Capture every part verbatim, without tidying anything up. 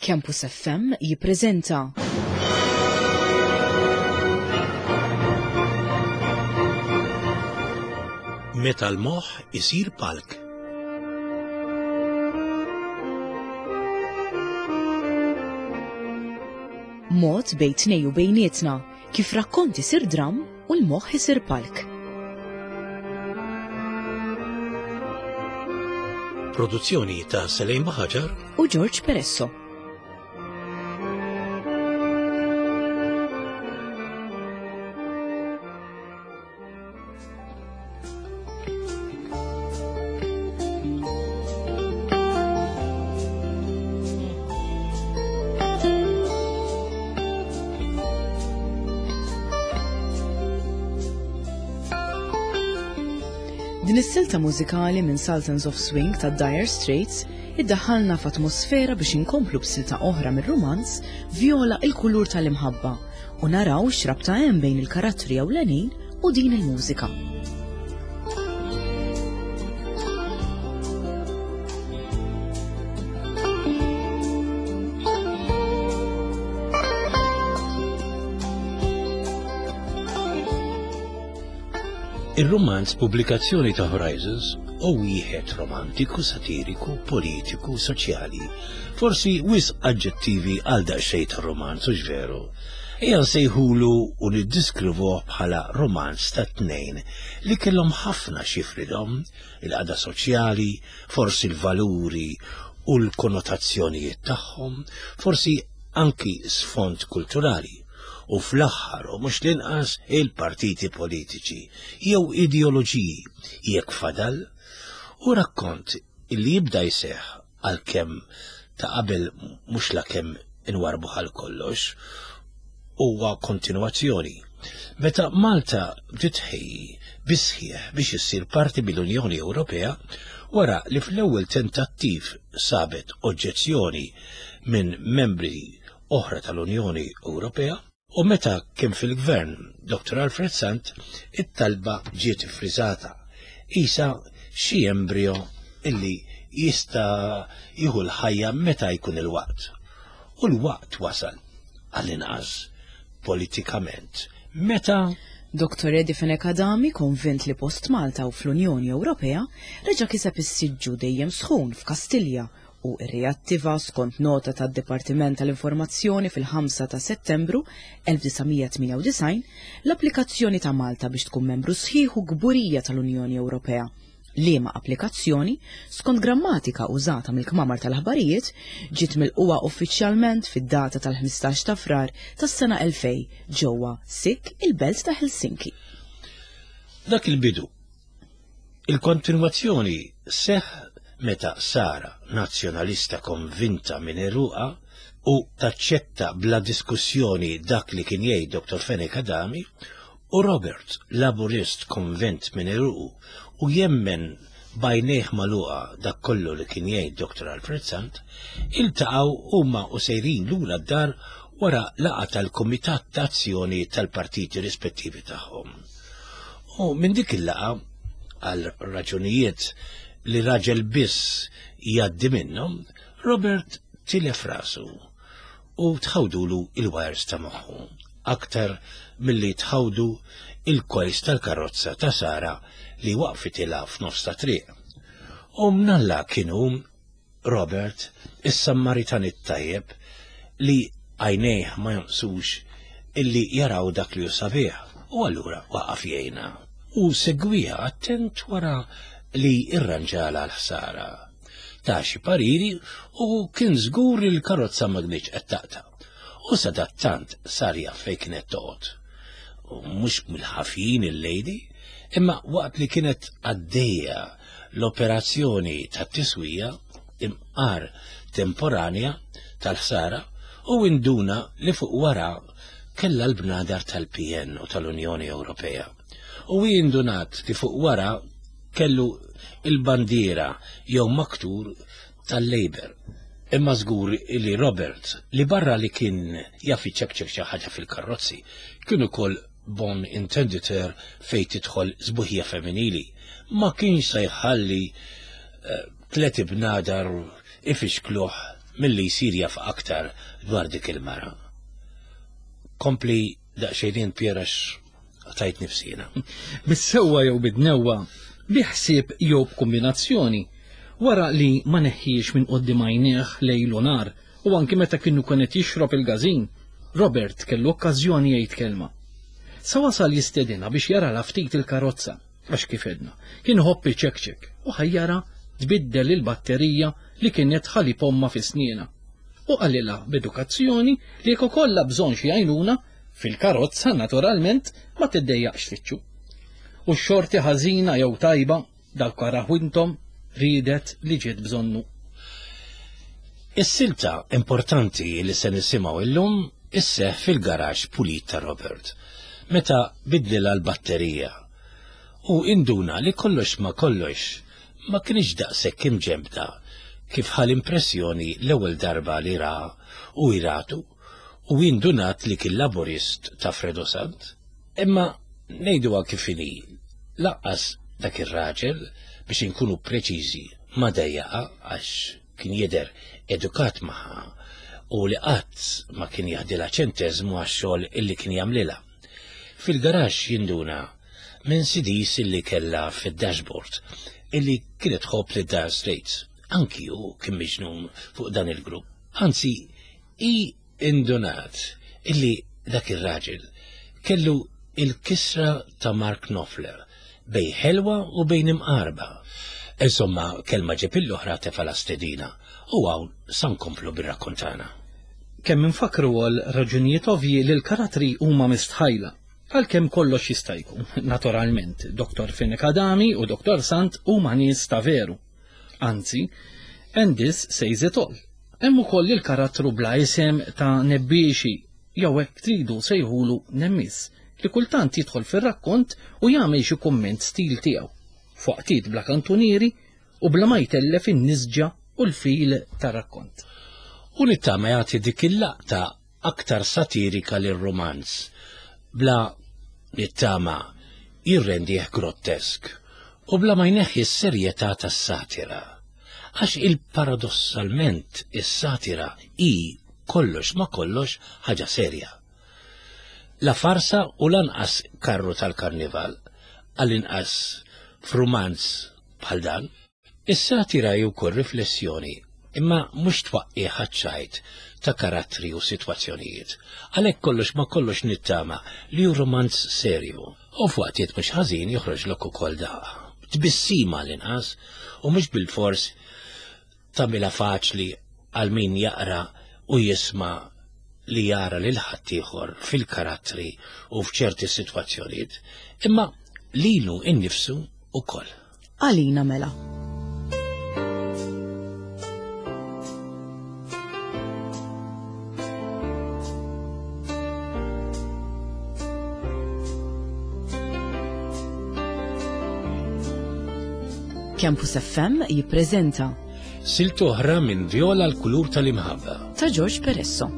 Campus F M jippreżenta Meta l-moħħ isir palk. Mod bejn tnej u bejnietna kif rakkont isir dram u l-moħħ isir palk. Produzzjoni ta' Selejn Baħaġar u George Peresso. Din is-silta mużikali minn Sultans of Swing ta' Dire Straits iddaħħalna f'atmosfera biex inkomplu b'silta oħra mir-rumanz Viola il-kulur tal-imħabba u naraw x'rabta hemm bejn il-karattri ewlenin u din il-mużika. Il-romanz pubblikazzjoni ta' Horizons u wieħed romantiku, satiriku, politiku, soċjali. Forsi wisq aġġettivi għal daqsxejn ta' romanz, u veru. Ejja nsejħulu u niddiskrivuh bħala romanz ta' tnejn li kellhom ħafna xifridhom, il-qagħda soċjali, forsi l-valuri u l-konnotazzjonijiet tagħhom, forsi anki sfond kulturali. U fl-aħħar u mhux l-inqas il-partiti politiċi jew ideoloġiji jekk fadal, u rakkont illi jibda jseħħ għalkemm ta' qabel mhux lakemm inwarbu għal kollox, huwa kontinwazzjoni. Meta Malta bdiet tħejji bisħieħ biex issir parti mill-Unjoni Ewropea, wara li fl-ewwel tentattiv sabet oġġezzjoni minn membri oħra tal-Unjoni Ewropea, u meta kien fil-gvern Doktor Alfred Sant, it-talba ġiet iffriżata. Isa xi embrio illi jista' jieħu l-ħajja meta jkun il-waqt. U l-waqt wasal, għall-inqas politikament. Meta Doktor Eddie Fenech Adami, konvint li post Malta u fl-Unjoni Ewropea, reġa' kiseb is-siġġu dejjem sħun f'Kastilja u rreattiva skont nota tad-Dipartiment tal-Informazzjoni fil-ħamsa ta' Settembru elf disa' mija tmienja u disgħin l-applikazzjoni ta' Malta biex tkun membru sħiħ u kburija tal-Unjoni Ewropea. Liema applikazzjoni, skont grammatika użata mill-kmamar tal-aħbarijiet, ġiet milquha uffiċjalment fid-data tal-ħmistax ta' Frar tas-sena elfej ġewwa Sik il-belt ta' Helsinki. Dak il-bidu. Il-kontinwazzjoni seħ meta Sara, nazzjonalista konvinta minn eruqa u taċċetta bla diskussjoni dak li kien jgħid Doktor Fenech Adami, u Robert, laburist konvint minn eruqu u jemmen bajnejh magħluqa dak kollu li kien jgħid Doktor Alfred Sant, iltaqgħu huma u sejrin lura d-dar wara laqgħa tal-Kumitat ta' Azzjoni tal-partiti rispettivi tagħhom. U minn dik il-laqgħa, għal raġunijiet li raġel biss jgħaddi minnhom, Robert tilef rasu u tħawdulu il-wires ta' moħħu, aktar milli tħawdu il-kojs tal-karozza ta' Sara li waqfitilha f'nofs ta' triq. U mnalla kienu Robert, is-Sammaritan it-tajjeb, li għajnejh ma jonqsux illi jaraw dak li hu sabiħ, u allura waqaf jgħinha u segwiha attent wara li irranġala l-ħsara. Ta' xi pariri u kien żgur li l-karozza ma kinitx qed taqta'. U sadattant sar jaf fejn kienet toqgħod. U mhux mill-ħafin il-lady, imma waqt li kienet għaddejja l-operazzjoni tat-tiswija imqar temporanja tal-ħsara, u induna li fuq wara kellha l-bnadar tal-P N u tal-Unjoni Ewropea. U indunat li fuq wara kellu il-bandiera jew maktur tal-Labour. Imma żgur li Robert, li barra li kien jaf iċekċek xi ħaġa fil-karrozzi, kien ukoll bon intenditor fejn tidħol sbuħija femminili, ma kienx se jħalli, eh, tliet ibnadar ifixkluh milli jsir jaf aktar dwar dik il-mara. Kompli daqsxejn Pier għax tajt nifsina. Bis-sewwa jew bid-dnewwa, bi ħsieb jew b'kombinazzjoni, wara li ma neħħiex minn quddiem għajnejh lejl u nhar u anki meta kienu kienet jixrob il-gażin, Robert kellu okkażjoni jgħid kelma. Sa wasal jistedinha biex jara la ftit il-karozza, għax kif edna, kien iħobb iċekċek u ħajjara tbiddel il-batterija li kienet ħalib omma fi sniena. U qalilha b'edukazzjoni li jekk ikollha bżonn xi għajnuna, fil-karozza naturalment ma tiddejjaqx tfittxu. U x-xorti ħażina jew tajba, dawk araw intom, riedet li ġiet bżonnu. Is-silta importanti li se nisimgħu illum isseħ fil-garaxx pulit ta' Robert, meta bidlilha l-batterija. U induna li kollox ma kollox ma kienx daqshekk imġembda kif ħa l-impressjoni l-ewwel darba li ra u iratu u indunat li kien laburist ta' Fredo Sant. Imma ngħiduha kif inhi, lanqas dak ir-raġel, biex inkunu preċiżi, ma dejjaqa għax kien jidher edukat magħha u li qatt ma kien jaħdilha ċenteżmu għax-xogħol illi kien jagħmlilha. Fil-garaxx jinduna minn C Ds illi kellha fid-dashboard illi kienet tħobb li Dire Straits. Anki hu kien miġnun fuq dan il-grupp. Anzi, i indunat illi dak ir-raġel kellu il-kisra ta' Mark Knopfler bejn ħelwa u bejn imqarba. Insomma, kelma ġib l-oħra tefa' la stedina u hawn sa nkomplu bir-rakkont tagħna. Kemm infakru għal raġunijiet ovvji li l-karattri huma mistħajla. Għalkemm kollox jista' jkun. Naturalment, Doktor Fenech Adami u Doktor Sant huma nies ta' veru. Anzi, and this says it all. Hemm ukoll il-karattru bla isem ta' Nebbiexi, jew hekk tridu sejħulu Nemmis, li kultant jidħol fir-rakkont u jagħmel xi kumment stil tiegħu. F'waqtiet bla kantunieri u bla ma jtellef in-nisġa u l-fil tar-rakkont. U nittama jagħti dik il-laqta aktar satirika lir-romanz, bla nittama jirrendih grottesk u bla ma jneħħi s-serjetà tas-satira. Għax il-paradossalment is-satira i kollox ma kollox ħaġa serja. La farsa u lanqas karru tal-karnival, għall-inqas f'rumanz bħal dan. Is-satira hi wkoll riflessjoni, imma mhux twaqqi ċajt ta' karattri u sitwazzjonijiet. Għalhekk kollox ma kollox nittama li hu romanz serju. U f'waqtiet mhux ħażin joħroġlok ukoll daqqa. Tbissima l-inqas u mhux bil-fors tagħmilha faċli għal min jaqra u jisma' li jara lil ħaddieħor fil-karattri u f'ċerti sitwazzjonijiet, imma lilu innifsu ukoll. Għalina mela. Campus F M jippreżenta Silta oħra minn Viola l-kulur tal-imħabba. Ta' George Peresso.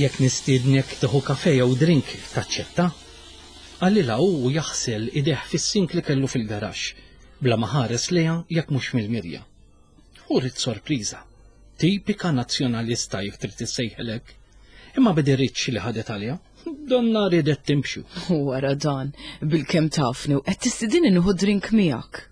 Jekk nistiednek tieħu kafe jew drink, taċċetta? Qalilha u jaħsel idejh fis-sink li kellu fil-garaxx, bla ma ħares lejha jekk mhux mill-mirja. U ried sorpriża. Tipika nazzjonalista jekk trid issejħelek. Imma b'deritx li ħadet għalija. Donna ridet timxu. U wara dan, bil-kemm tafni u qed tistidini nieħu drink miegħek.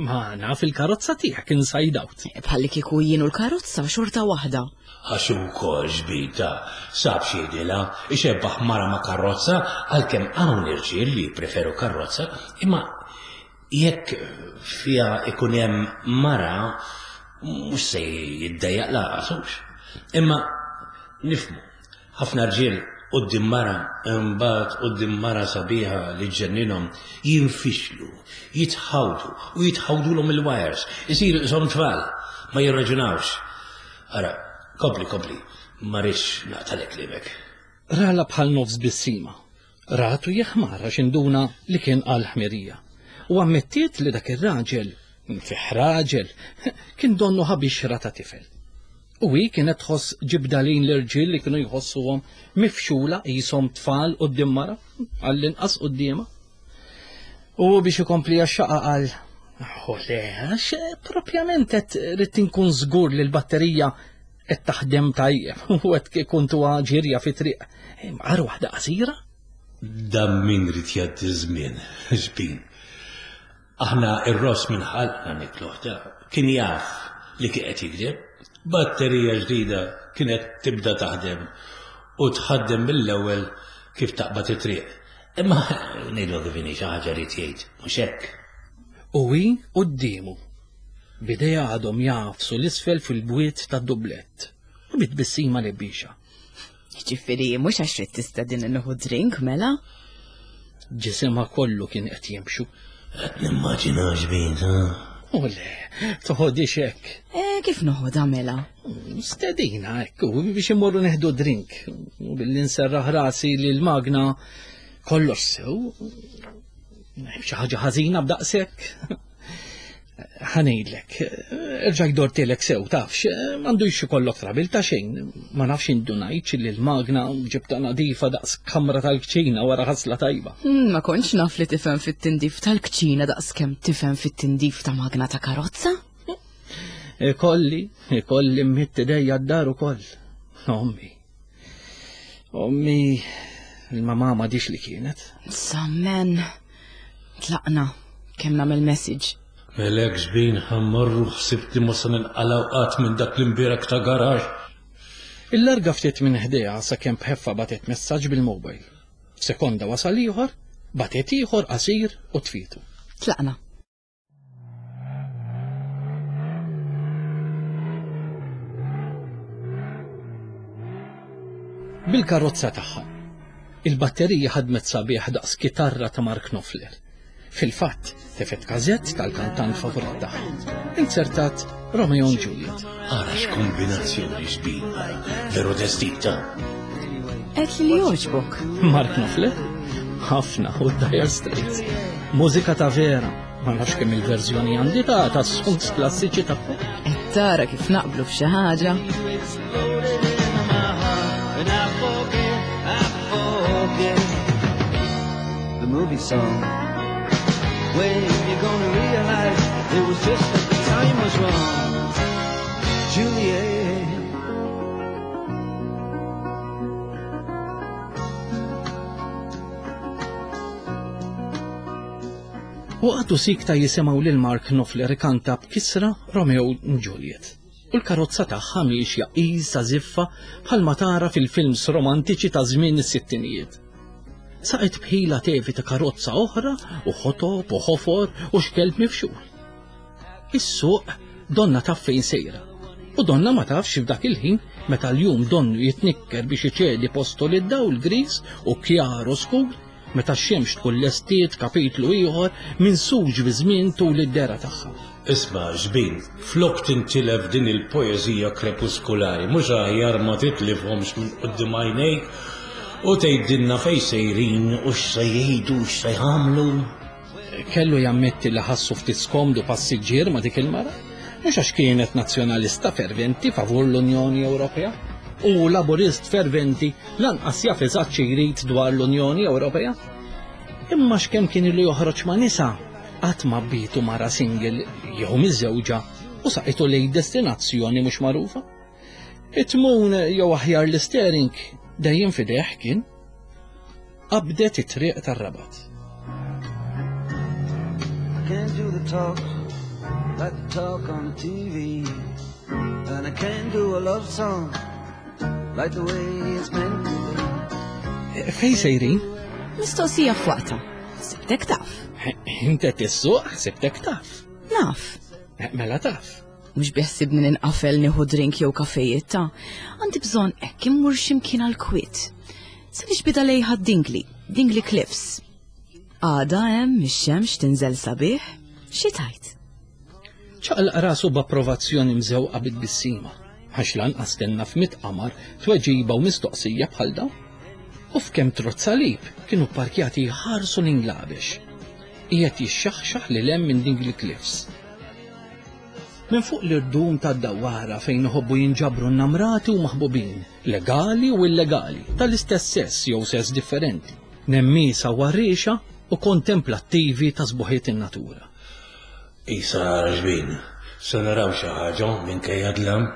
Ma naf il-karozza tiegħek inside out. Bħalli kieku jien u l-karozza xorta waħda. Għax ukoll ġbita, sab x'jgħidilha, ixebbaħ mara ma' karozza, għalkemm hawn irġiel li preferu karozza, imma jekk fiha ikun hemm mara mhux se jiddejjaq lanqas hux. Imma nifhmu, ħafna rġiel quddiem mara, imbagħad quddiem mara sabiħa li ġenninhom jinfixlu, jitħawdu u jitħawdulhom il-wires, isiru qishom tfal, ma jirraġunawx. Ara, kompli, kompli, ma rridx naqtalek klimek. Rala bħal nofs bissima. Ratu jeħmar għax induna li kien qal ħmerija. U ammettiet li dak ir-raġel, fih raġel, kien donnu ħabixra ta' tifel. U hi kienet tħoss ġibda lejn l-irġiel li kienu jħossuhom mifxula qishom tfal quddiem mara, għall-inqas quddiemha. U biex ikompli għax-xaqa qal, "Oh le, għax propjament qed rrid inkun żgur li l-batterija qed taħdem tajjeb u qed kuntuha ġirja fi triq. Imqar waħda qasira?" Dan min rid jgħaddi żmien, xbin. Aħna ir-ross minn ħalqna nikluh ta' kien jaf li kien qed jikdeb. Batterija ġdida kienet tibda taħdem u tħaddem mill-ewwel kif taqbad it-triq. Imma ngħidu kif inhi xi ħaġa rid jgħid, mhux hekk. U hi quddiemu. Bidejha għadhom jagħfsu l-isfel fil-bwiet tad-dublett u bit-tbissima lebbixa. Jiġifieri mhux għax trid tistedin nieħu drink mela? Ġisimha kollu kien qed jimxu. Qed nimmaġina xbin, ha? U le, toħodix hekk. E, kif noħodha mela? Stedina hekk, u biex immorru neħdu drink. U billi nserraħ rasi li l-magna kollox sew. Xi ħaġa ħażina b'daqshekk. Ħa ngħidlek, erġajt dortilek sew, tafx, m'għandux ikollok trabil ta' xejn. Ma nafx indunajtx li l-magna ġibta nadifa daqs kamra tal-kċina wara ħasla tajba. Hmm, Ma kontx naf li tifhem fit-tindif tal-kċina daqs kemm tifhem fit-tindif ta' magna ta' karozza. Ikolli, ikolli mmidd idejja d-dar ukoll. Ommi. Ommi, il-mamà m'għadhiex li kienet. Sammen, tlaqna, kemm nagħmel message. Melek xbin ħa mmorru ħsibt li mhux se ninqalgħu qatt minn dak l-imbierek ta' garaxx. Il-larga ftit minn ħdejha sakemm bħeffa bagħtet messaġġ bil-mobile. F'sekonda wasal ieħor, bagħtet ieħor qasir u tfietu. Tlaqna. Bil-karozza tagħha. Il-batterija ħadmet sabiħ daqs kitarra ta' Mark Knopfler. Fil-fatt, tefet każett tal-kantant favorit tagħha. Inzertat Romeo and Juliet. Ara x'kombinazzjoni xbin, veru destita. Qed li jogħġbok. Mark Knopfler? Ħafna u Dire Straits. Mużika ta' vera. Ma nafx kemm il-verżjoni għandi ta' ta' songs klassiċi tagħhom. Qed tara kif naqblu f'xi ħaġa. And I forget, I forget the movie song. When you're gonna realize it was just that the time was wrong, Juliet. U għadu sikta jisimgħu lil Mark Knopfler ikanta b'kisra Romeo u Juliet. U l-karozza tagħha miexja qisha żiffa bħalma tara fil-films romantiċi ta' żmien is-sittinijiet. Saqet bħila tevita karozza oħra u ħotob u ħofor u xkelb mifxul. Is-suq donna taf fejn sejra. U donna ma tafx f'dak il-ħin meta l-jum donnu jitnikker biex iċedi postu lid-dawl gris u kjar u skur meta x-xemx tkun lestiet kapitlu ieħor minn suġ bi żmien tul id-dera tagħha. Isma' xbin, flok tintilef din il-poeżija krepuskulari, mhux aħjar ma titlifhomx minn quddiem għajnejk u tgħidilna fejn sejrin u x'se jgħidu u x'se jagħmlu. Kellu jammetti li ħassu ftit skomdu passiġġier ma' dik il-mara, mhux għax kienet nazzjonalista ferventi favur l-Unjoni Ewropea u laburist ferventi lanqas jaf eżatt xi jrid dwar l-Unjoni Ewropea. Imma x'kemm kien ilu joħroġ ma' nisa, qatt ma bietu mara single jew miżewġa u saqitu lejn destinazzjoni mhux magħrufa. It-tmun jew aħjar l-steering dejjem f'idejh kien. Qabdet it-triq tar-Rabat. I can't do the talk like the talk on the T V, and I can't do a love song like the way it's meant to be. Fej sejrin? Mistoqsija f'waqta. Sibtek taf. Inti tissuq, sibtek taf. Naf. Mela taf. Mhux biħsibni ninqafel nieħu drink jew kafejiet ta' għandi bżonn hekk immur x'imkien għal kwiet. Se nixbida lejha Dingli, Dingli Cliffs. Għada hemm ix-xemx tinżel sabiħ, xi tajt? Ċaqlaq rasu b'approvazzjoni mżewqa bit-tbissima, għax lanqas tenna f'mitt qamar tweġiba u mistoqsija bħal dawn. U f'kemm trozz salib kienu parkjati jħarsu l-Inglabex. Qiegħed jixxaħxaħ lil hemm minn Dingley Cliffs. Minn fuq l-irdum tad-dawara fejn iħobbu jinġabru n-namrati u maħbubin, legali u illegali, tal-istess sess jew sess differenti, nemmisa u għarriexa u kontemplattivi ta' sbuħiet in-natura. Isa xbin, se naraw xi ħaġa minkejja dlam.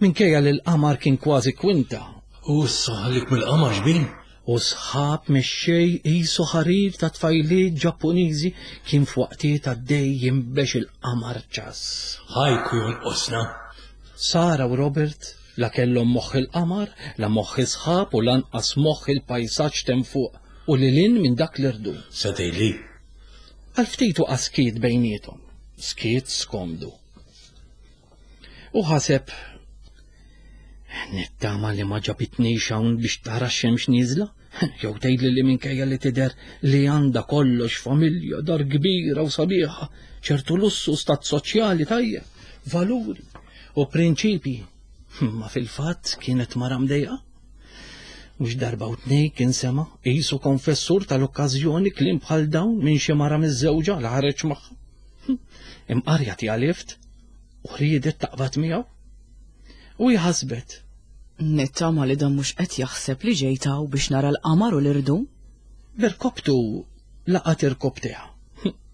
Minkejja li l-qamar kien kważi kwinta. U s-saħlik mill-qamar xbin? U sħab mixxej qisu ħarir ta' tfajliet Ġappuniżi kien f'waqtiet għaddej jinbex il-qamar ċass. Ħajku jonqosna. Sara u Robert la kellhom moħħ il-qamar, la moħħ is-sħab u lanqas moħħ il-pajsaġġ t'hemm fuq u lil hinn minn dak l-irdum. Se tgħidli. Għal ftit waqa' skiet bejniethom, skiet skomdu. U ħaseb, nittama li ma ġabitnix hawn biex tara x-xemx nieżla, jew tgħidli li minkejja li tidher li għandha kollox, familja, dar kbira u sabiħa, ċertu lussu, stat soċjali tajjeb, valuri u prinċipji. Ma fil-fatt kienet mara mdejqa. Mhux darba u tnejn kien sema' qisu konfessur tal-okkażjoni kliem bħal dawn minn xi mara miż-żewġa li ħareġ magħha. Imqarja tiegħlift u riedet taqbad miegħu. U jħasbet. Nittama li dan mhux qed jaħseb li ġejt hawn biex nara l-qamar u l-irdum. Berkobtu laqat irkobteha.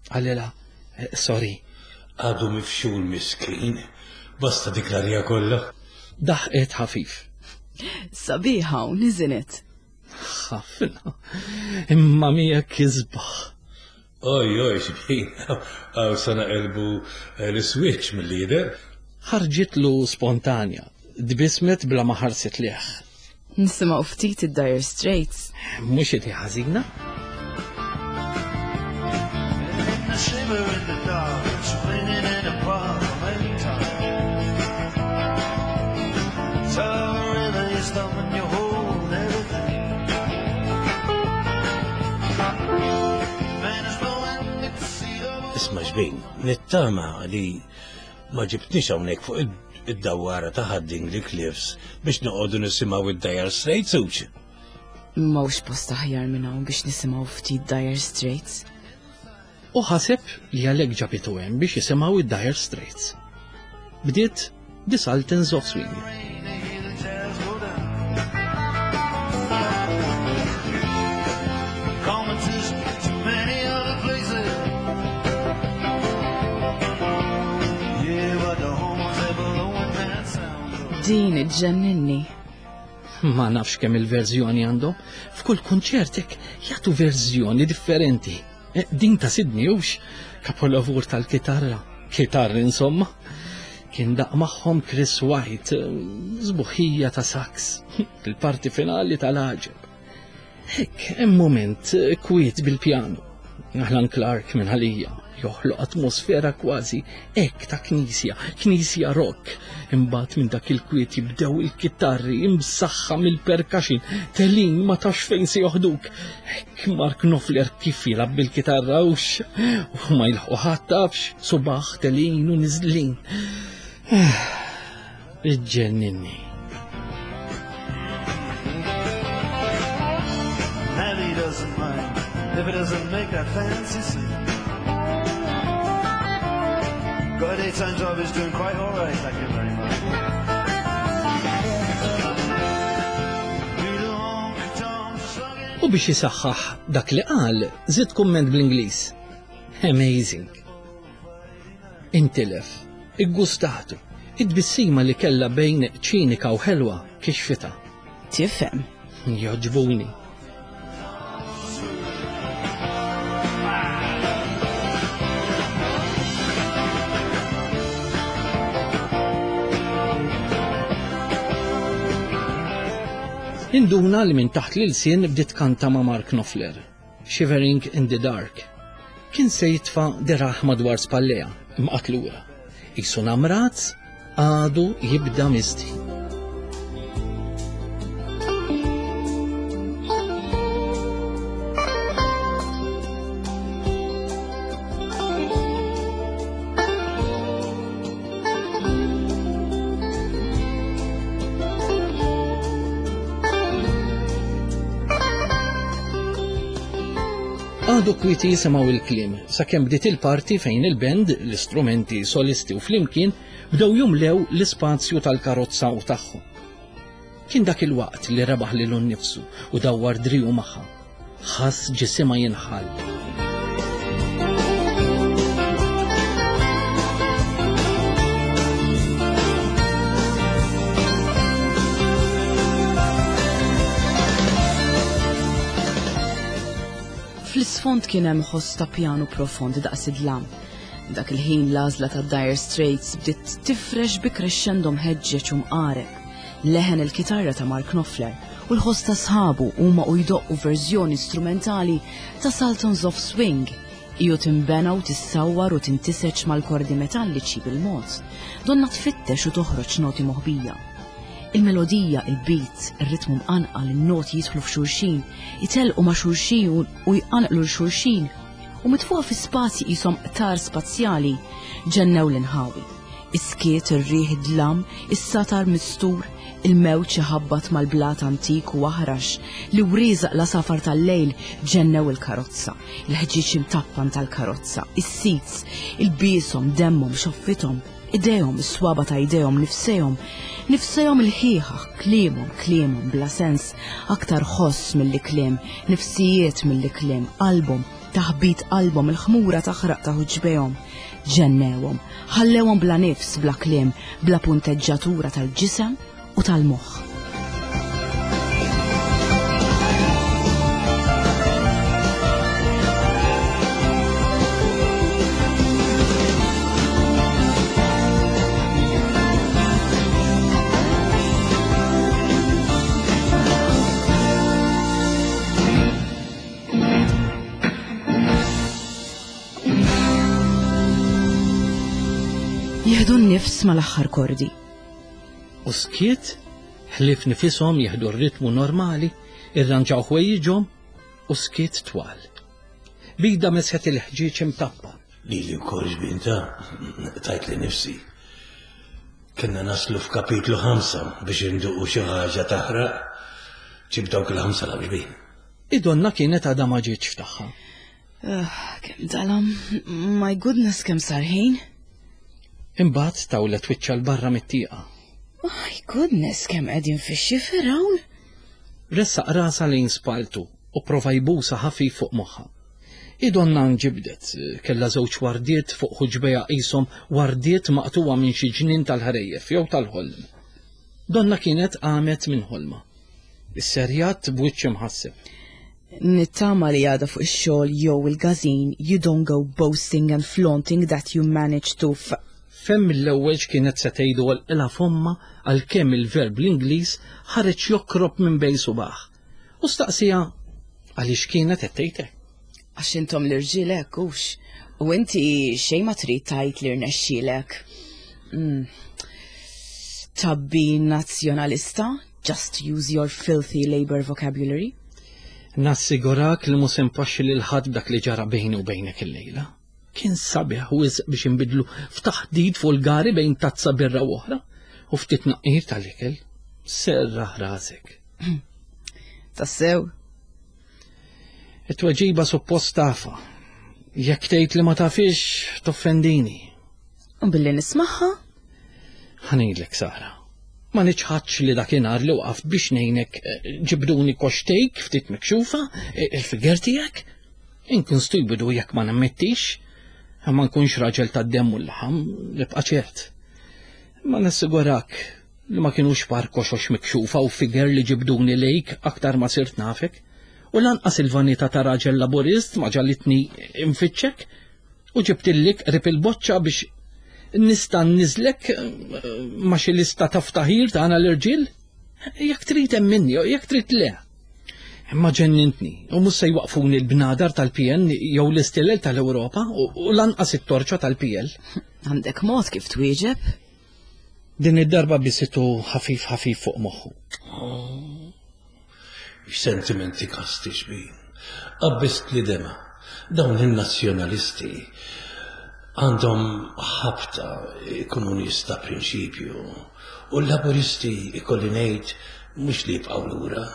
Qalilha, sorry. Għadu mifxul miskin, basta dik l-arja kollha. Daħqet ħafif. Sabiħa u niżinet. Ħafna. Imma miegħek isbaħ. Oj, oj, xbin, għaw sa naqilbu l-switch mill-lider. Ħarġitlu spontanja, tbissmet bla ma ħarset lejh. Nisimgħu ftit id-Dire Straits. Mhux idea ħażina. In the shiver in the dark, spinning in a park anytime. So really you stop and you hold everything. Man is blowing, you can see the Isma' xbin, nittama li ma ġibtnix hawnhekk fuq id-dawara ta' Dingley Cliffs biex noqogħdu nisimgħu id-Dire Straits hux. M'hawnx post aħjar minn hawn biex nisimgħu ftit Dire Straits. U ħaseb li għalhekk ġabitu hemm biex jisimgħu id-Dire Straits. Bdiet The Sultans of Swing. rain, you hear the jazz go down. Competition to many other places. Yeah, but the horns they blowing that sound. Din iġġenninni. Ma nafx kemm il-verżjoni għandhom. F'kull kunċert hekk jagħtu verżjoni differenti. Eh, Din ta' Sydney hux kapolavur tal-kitarra. Kitarra insomma. Kien daqq magħhom Chris White, eh, sbuħija ta' sax, il-parti finali tal-għaġeb. Hekk, hemm moment eh, kwiet bil-pjanu. Alan Clark minn għalija joħloq atmosfera kważi hekk ta' knisja, knisja rock. Imbagħad minn dak il-kwiet jibdew il-kitarri imsaħħa mill-percussion, telgħin ma tafx fejn se joħduk. Hekk Mark Knopfler kif jilgħab bil-kitarra hux u ma jilħqu ħadd tafx, subaħ telgħin u niżlin. Iġġenninni. Nelly doesn't mind if it doesn't make that fancy scene. Got a daytime job, is doing quite alright, thank you very much. Do the honky-tonk slugging. U biex jisaħħaħ dak li qal, żied kumment bl-Ingliż. Amazing. Intilef, iggustatu, id-tbissima li kella bejn ċinika u ħelwa kixfita. Tifhem. Joġbuni. Induna li minn taħt l-ilsien bdiet kanta ma' Mark Knopfler, Shivering in the Dark. Kien se jitfa' deraħ madwar spalleja, imqatlura. Qisu namrat għadu jibda misti. Għadu kwieti jisimgħu il-kliem sakemm bdiet il-parti fejn il-band, l-istrumenti solisti u flimkien bdew jumlew l-ispazju tal-karozza u tagħhom. Kien dak il-waqt li rebaħ lilu nnifsu u dawwar driju magħha. Ħass ġisimha jinħall. Fl-isfond kien hemm ħoss ta' pjanu profond daqs id-dlam. Dak il-ħin l-għażla ta' Dire Straits bdiet tifrex bi crescendo mħeġġeġ u mqareb. Leħen il-kitarra ta' Mark Knopfler u l-ħoss ta' sħabu huma u jdoqqu verżjoni strumentali ta' Sultans of Swing. Iju timbena u tissawwar u tintiseġ mal-kordi metalliċi bil-mod. Donna tfittex u toħroġ noti moħbija. Il-melodija, il-beat, il-ritmu mqanqal, il-noti jidħlu f'xulxin, jitelqu ma' xulxin u jqanqlu l-xulxin u mitfuqa fi spazji qishom qtar spazjali ġennew l-inħawi. Iskiet, ir-riħ, id-dlam, is-satar mistur, il-mewġ iħabbat mal-blat antik u aħrax li wriżaq la safar tal-lejl ġennew il-karozza, il-ħġieġ imtappan tal-karozza, is-seats, il-bieshom, demmhom, xoffithom, idejhom, is-swaba ta' idejhom, nifsejhom, nifsejhom il-ħieħa, kliemhom, kliemhom bla sens, aktar ħoss milli kliem, nifsijiet milli kliem, qalbhom, taħbit qalbhom, il-ħmura taħraq ta' ħuġbejhom. Ġennewhom, ħallewhom bla nifs, bla kliem, bla punteġġatura tal-ġisem u tal-moħħ. Jieħdu n-nifs mal-aħħar kordi. U skiet, ħlief nifishom jieħdu r-ritmu normali, irranġaw ħwejjiġhom u skiet twal. Bida mesħet il-ħġieġ imtappa. Lili wkoll xbinta, tajt li nifsi. Kenna naslu f'kapitlu ħamsa biex induqu xi ħaġa taħraq. Ġib dawk il-ħamsa la biex. Id-donna kienet għadha ma ġietx f'tagħha. Uh, kemm dalam, my goodness, kemm sar ħin. Imbagħad tawlet wiċċha 'l barra mit-tieqa. My goodness, kemm qegħdin fix-xifer hawn. Ressaq rasha lejn spaltu u prova jbusa ħafif fuq moħħha. Id-donna nġibdet, kellha żewġ wardiet fuq ħuġbejha qishom wardiet maqtuwa minn xi ġnien tal-ħrejjef jew tal-ħolm. Donna kienet qamet minn ħolma. Is-serjat b'wiċċ imħasseb. Nittama li għada fuq ix-xogħol jew il-gazin, you don't go boasting and flaunting that you managed to f Fem mill-ewwel kienet se tgħidu għalqilha fomma għalkemm il-verb l-Ingliż ħareġ jokrob minn bejn subaħ. U staqsija għaliex kienet qed tgħidek. Għax intom l-irġiel hekk hux. U inti xejn ma trid tgħid li rnexxielek. Mm. Tabbi nazzjonalista, just use your filthy Labour vocabulary. Nassigurak li mhux se npaxxi lil ħadd b'dak li ġara bejni u bejnek illejla. Kien sabiħ wisq biex inbidlu f'taħdid vulgari bejn tazza birra u oħra u ftit naqqir tal-ikel. Serraħ rasek. Tassew? It-tweġiba suppost tafa. Jekk tgħid li ma tafix, toffendini. U billi nismaħħa? Ħa ngħidlek Sara. Ma niċħadx li dakinhar li waqaft biex ngħinek ġibduni koxtejk ftit mikxufa, il-figer tiegħek. Inkun stupidu jekk ma nammettix. Ma nkunx raġel tad-demm u l-laħam, nibqa' ċert. Ma nassigurak li ma kienux par koxox mikxufa u figer li ġibduni lejk aktar ma sirt nafek. U lanqas il-vanità ta' raġel laburist ma ġalitni infittxek u ġibtillik qrib il-boċċa biex nista' nniżlek ma' xi lista ta' ftaħir tagħna l-irġiel. Jekk trid hemm minni, jekk trid le. Imma ġennintni, u mhux se jwaqfuni l-bnadar tal-P N jew l-istilel tal-Ewropa u lanqas it-torċa tal-P L. Għandek mod kif twieġeb? Din id-darba bisitu ħafif ħafif fuq moħħu. X'sentimenti kasti xbin. Qabbist li dema. Dawn in-nazzjonalisti għandhom ħabta ikunu nies ta' prinċipju u l-laburisti ikolli ngħid mhux li jibqgħu lura.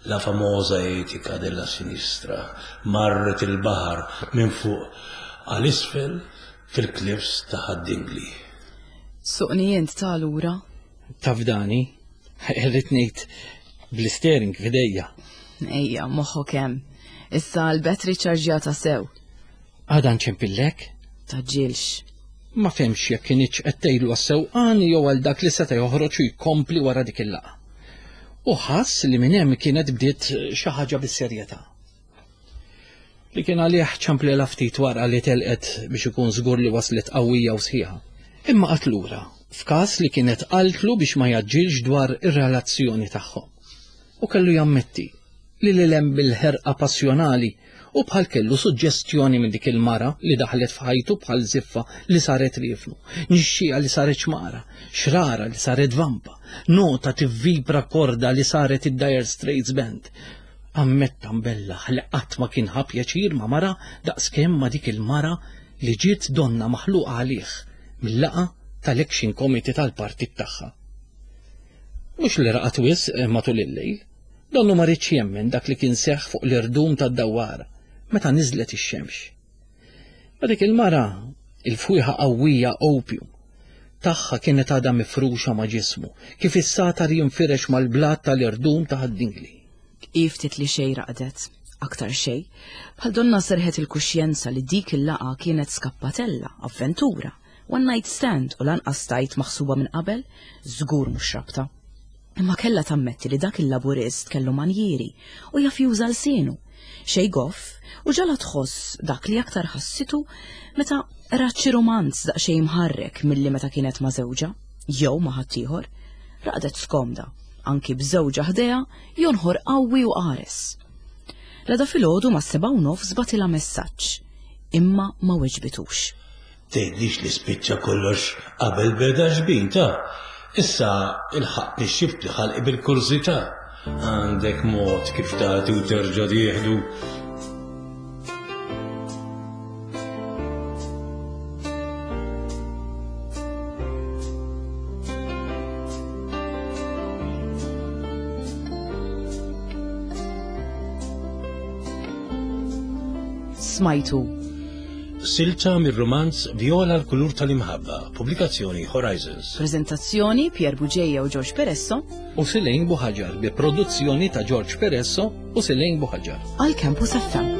La famosa etica della sinistra marret il-baħar minn fuq għal isfel fil-cliffs ta' Ħad-Dingli. Suqni int ta' lura. Tafdani, irrid ngħid bl-steering f'idejja. Ejja, moħħok hemm. Issa l-battery ċarġjata sew. Għada nċempillek? Tgħaġġilx. Ma fehemx jekk kinitx qed tgħidlu għas-sewqan jew għal dak li seta' joħroġ u jkompli wara dik il-laqgħa. U ħass li minn hemm kienet bdiet xi ħaġa bis-serjetà. Li kien għalih ċemplilha ftit wara li telqet biex ikun żgur li waslet qawwija u sħiħa. Imma qagħad lura, f'każ li kienet qaltlu biex ma jgħaġġilx dwar ir-relazzjoni tagħhom. U kellu jammetti li lil hemm bil-ħerqa passjonali u bħal kellu suġġestjoni minn dik il-mara li daħlet f'ħajtu bħal ziffa li saret riefnu, nixxija li saret xmara, xrara li saret vampa, nota tivvibra korda li saret id-Dire Straits Band. Ammetta mbellaħ li qatt ma kien ħa pjaċir ma' mara daqskemm ma' dik il-mara li ġiet donna maħluqa għalih mill-laqgħa tal-Action Committee tal-partit tagħha. Mhux li raqad wisq matul il-lejl, donnu ma riedx jemmen dak li kien seħħ fuq l-irdum tad-dawwara meta niżlet ix-xemx. Ma dik il-mara, il-fwieħa qawwija opium, tagħha kienet għadha mifruxa ma' ġismu, kif is-satar jinfirex mal-blat tal-irdum ta' Ħad-Dingli. Ftit li xejn raqdet, aktar xejn, bħal donna serħet il-kuxjenza li dik il-laqgħa kienet skappatella, avventura, one night stand u lanqas tajt maħsuba minn qabel, żgur mhux rabta. Imma kella tammetti li dak il-laburist kellu manjieri u jaf juża lsienu, xej goff u ġagħalha tħoss dak li aktar ħassitu meta rat xi romanz daqsxejn mħarrek milli meta kienet ma' żewġha, jew ma' ħaddieħor, raqdet skomda, anki b'żewġha ħdejha jonħor qawwi u qares. L-għada filgħodu mas-sebgħa u nofs bagħtilha messaġġ, imma ma weġbitux. Tgħidlix li spiċċa kollox qabel beda xbin ta' issa il-ħaq nixxift li ħalqi bil-kurżità. Għandek mod kif tagħti u terġa' tieħdu. Smajtu. Silta mir-romanz Viola l-kulur tal-imħabba, pubblikazzjoni Horizons. Prezentazzjoni Pier Bugeja u George Peresso. U Silejn Buħaġar bi produzzjoni ta' George Peresso u Silejn Buħaġar. Għal Campus F M.